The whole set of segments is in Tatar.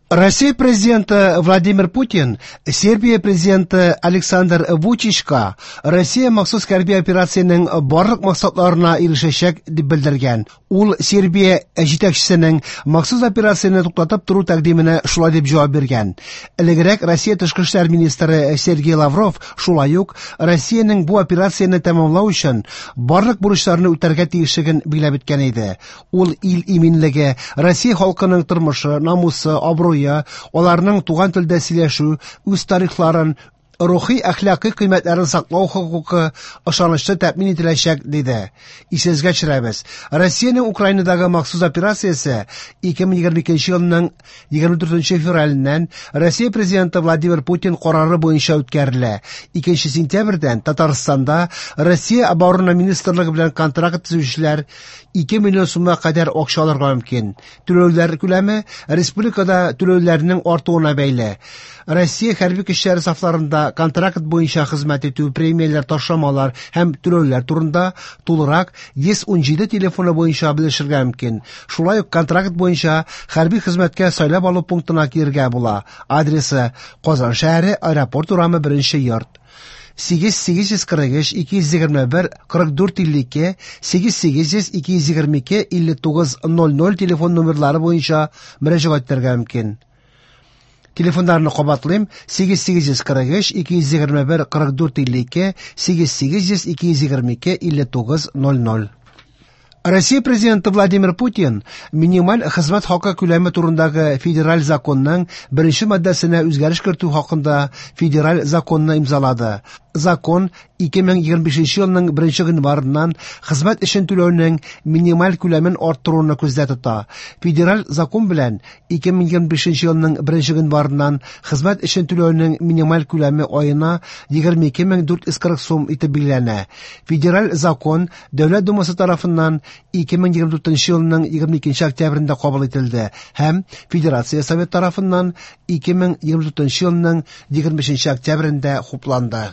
Россия президенты Владимир Путин Сербия президенты Александр Вучичка Россия махсус хәрби операциянең барлык максатларына ирешәчәк дип белдергән. Ул Сербия җитәкчесенең махсус операцияне туктатып тору тәкъдименә шулай дип җавап биргән. Элегрәк Россия тышкы эшләр министры Сергей Лавров шулай ук Россиянең бу операцияне тәмамлау өчен барлык бурычларны үтәргә тиешлеген билгеләп үткән иде. Ул ил иминлеге, Россия халкының тормышы, намусы, абруе, аларның туган телдә сөйләшү, үз тарихларын, рухи әхлакый кыйммәтләрен саклау хокукы ышанычлы тәэмин ителәчәк, диде. Исегезгә төшерәбез. Россиянең Украинадагы махсус операциясе 2022 елның 24 февраленнән Россия президенты Владимир Путин карары буенча үткәрелә. 2 сентябрьдән Татарстанда Россия Оборона министрлыгы белән контракт төзүчеләр 2 миллион сумга кадәр акча алырга мөмкин. Түләүләр күләме республикада түләүләрнең артуына бәйле. Россия хәрби көчләре сафларында контракт буенча хезмәт итү, премияләр, ташламалар һәм түләүләр турында тулырак 117 телефоны буенча белешергә мөмкин. Шулай ук контракт буенча хәрби хезмәткә сайлап алу пунктына килергә була. Адресы: Казан шәһәре, Аэропорт урамы, 1 йорт. 8 843 221 44 52, 8 800 222 59 00 телефон номерлары буенча мөрәҗәгать итәргә мөмкин. Телефоннарны кабатлыйм: 8 843 221 44 52, 8 800 222 59 00. Россия президенты Владимир Путин минималь хезмәт хакы күләме турындагы федераль законның беренче маддәсенә үзгәреш кертү хакында федераль законны имзалады. Закон 2025 елның 1 гыйнварыннан хезмәт өчен түләүнең минималь күләмен арттыруны күздә тота. Федераль закон белән 2025 елның 1 гыйнварыннан хезмәт өчен түләүнең минималь күләме аена 22 440 сум итеп билгеләнә. Федераль закон Дәүләт Думасы тарафыннан 2024 елның 22 октябрендә кабул ителде һәм Федерация Совет тарафыннан 2024 елның 25 октябрендә хупланды.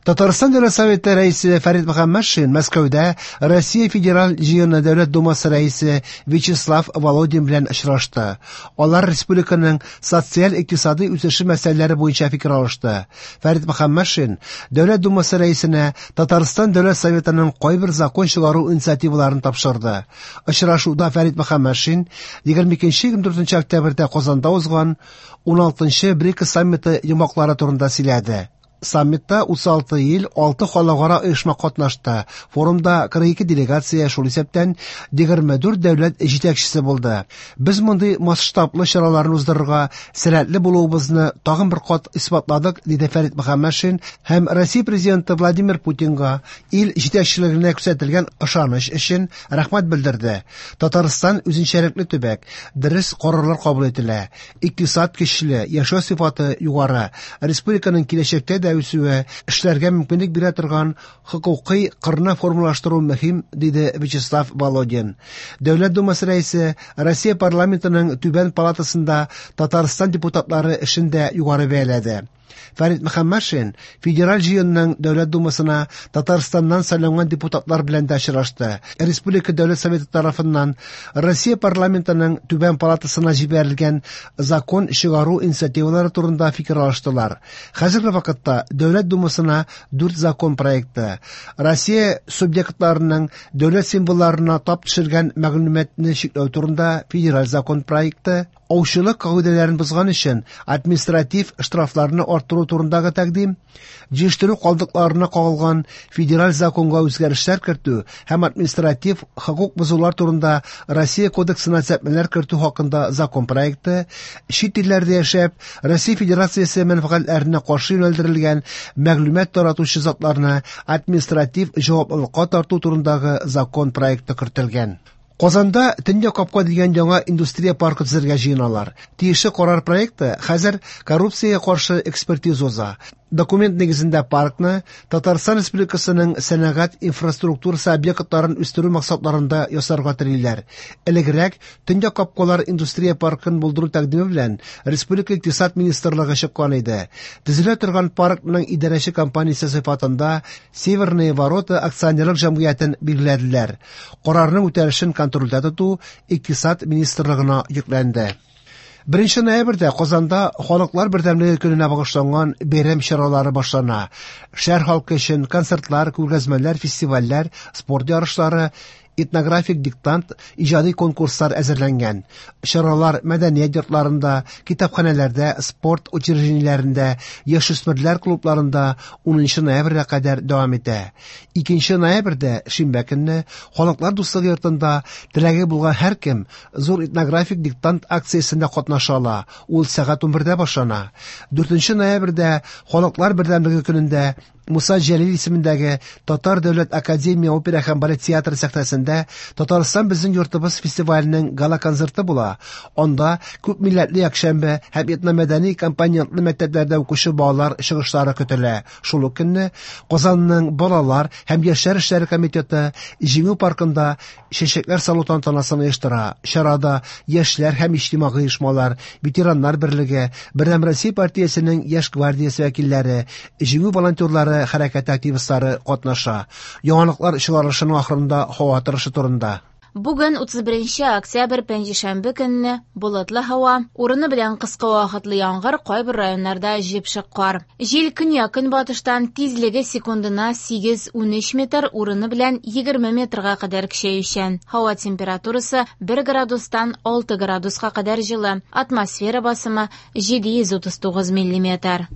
Татарстан Дәүләт Советы рәисе Фәрит Мөхәммәтшин Мәскәүдә Россия Федераль Җыены Дәүләт Думасы рәисе Вячеслав Володин белән очрашты. Алар республиканың социаль-икътисади үсеше мәсьәләләре буенча фикер алышты. Фәрит Мөхәммәтшин Дәүләт Думасы рәисенә Татарстан Дәүләт Советының кайбер закон чыгару инициативаларын тапшырды. Очрашуда Фәрит Мөхәммәтшин 22-24 октябрьдә Казанда узган 16 БРИКС саммиты йомгаклары турында сөйләде. Саммитта 36 ил, 6 халыкара оешма катнашты. Форумда 42 делегация, шул исәптән 24 дәүләт җитәкчесе булды. Без мондый масштаблы чараларны уздырырга сәләтле булуыбызны тагын бер кат исбатладык, диде Фәрит Мөхәммәтшин һәм Россия президенты Владимир Путинга ил җитәкчелегенә күрсәтелгән ышаныч өчен рәхмәт белдерде. Татарстан үзенчәлекле төбәк, дөрес карарлар кабул ителә. Икътисад көчле, яшәү сыйфаты югары. Республиканың киләчәктә дә үсүе, эшләргә мөмкинлек бирә торган хокукый кырны формалаштыру мөһим, диде Вячеслав Володин. Дәүләт Думасы рәисе Россия парламентының түбән палатасында Татарстан депутатлары эшен дә югары бәяләде. Фәрит Мөхәммәтшин Федераль җыенның Дәүләт Думасына Татарстаннан сайланган депутатлар белән дә очрашты. Республика Дәүләт Советы тарафыннан Россия парламентының түбән палатасына җибәрелгән закон чыгару инициативалары турында фикер алыштылар. Хәзерге вакытта Дәүләт Думасына 4 закон проекты, Россия субъектларының дәүләт символларына тап төшергән мәгълүматны чикләү турында федераль закон проекты, аучылык кагыйдәләрен бозган өчен административ штрафларны арттыру турындагы тәкъдим, җыештыру калдыкларына кагылган федераль законга үзгәрешләр кертү һәм административ хокук бозулар турында Россия кодексына төзәтмәләр кертү хакында закон проекты, чит илләрдә яшәп, Россия Федерациясе мәнфәгатьләренә каршы юнәлдерелгән мәгълүмат таратучы затларны административ җаваплылыкка тарту турындагы закон проекты кертелгән. Казанда Төньяк капка дигән яңа индустрия паркы төзергә җыеналар. Тиешле карар проекты хәзер коррупциягә каршы экспертиза уза. Документ нигезендә паркны Татарстан Республикасының сәнәгать инфраструктурасы объектларын үстерү максатларында ясарга телиләр. Элегрәк Төньяк капкалар индустрия паркын булдыру тәкъдиме белән Республика Икътисад министрлыгы чыккан иде. Төзелә торган паркның идарәче компаниясе сыйфатында Северные ворота акционерлык җәмгыятен билгеләделәр. Карарның үтәлешен контрольдә тоту Икътисад министрлыгына йөкләнде. 1 ноябрьдә Казанда Халыклар бердәмлеге көненә багышланган бәйрәм чаралары башлана. Шәһәр халкы өчен концертлар, күргәзмәләр, фестивальләр, спорт ярышлары, этнографик диктант, иҗади конкурслар әзерләнгән. Чаралар мәдәният йортларында, китапханәләрдә, спорт учреждениеләрендә, яшүсмерләр клубларында 10 ноябрьгә кадәр дәвам итә. 2 ноябрьдә, шимбә көнне, Халыклар дуслыгы йортында теләге булган һәркем зур этнографик диктант акциясендә катнаша ала. Ул сәгать 11дә башлана. 4 ноябрьдә Халыклар бердәмлеге көнендә Муса Җәлил исемендәге Татар дәүләт академия опера һәм балет театры сәхнәсендә Татарстан безнең йортыбыз фестиваленең гала-концерты була. Анда күп милләтле якшәмбе һәм этномәдәни компонентлы мәктәпләрдә укучы балалар чыгышлары көтелә. Шул ук көнне Казанның балалар һәм яшьләр эшләре комитеты Җиңү паркында чәчәкләр салу тантанасын оештыра. Чарада яшьләр һәм иҗтимагый оешмалар, ветераннар берлеге, Бердәм Россия партиясенең яшь гвардиясе вәкилләре, Җиңү волонтерлары хәрәкәте активистлары катнаша. Яңалыклар чыгарылышының ахырында һава торышы турында. Бүген 31 октябрь пәнҗешәмбе көнне болытлы һава, урыны белән кыска вакытлы яңгыр, кайбер районнарда җепшек кар. Җил көньяк-көнбатыштан, тизлеге секундына 8-13 метр, урыны белән 20 метрга кадәр көчәючән. Һава температурасы 1 градустан 6 градуска кадәр җылы. Атмосфера басымы 739 миллиметр.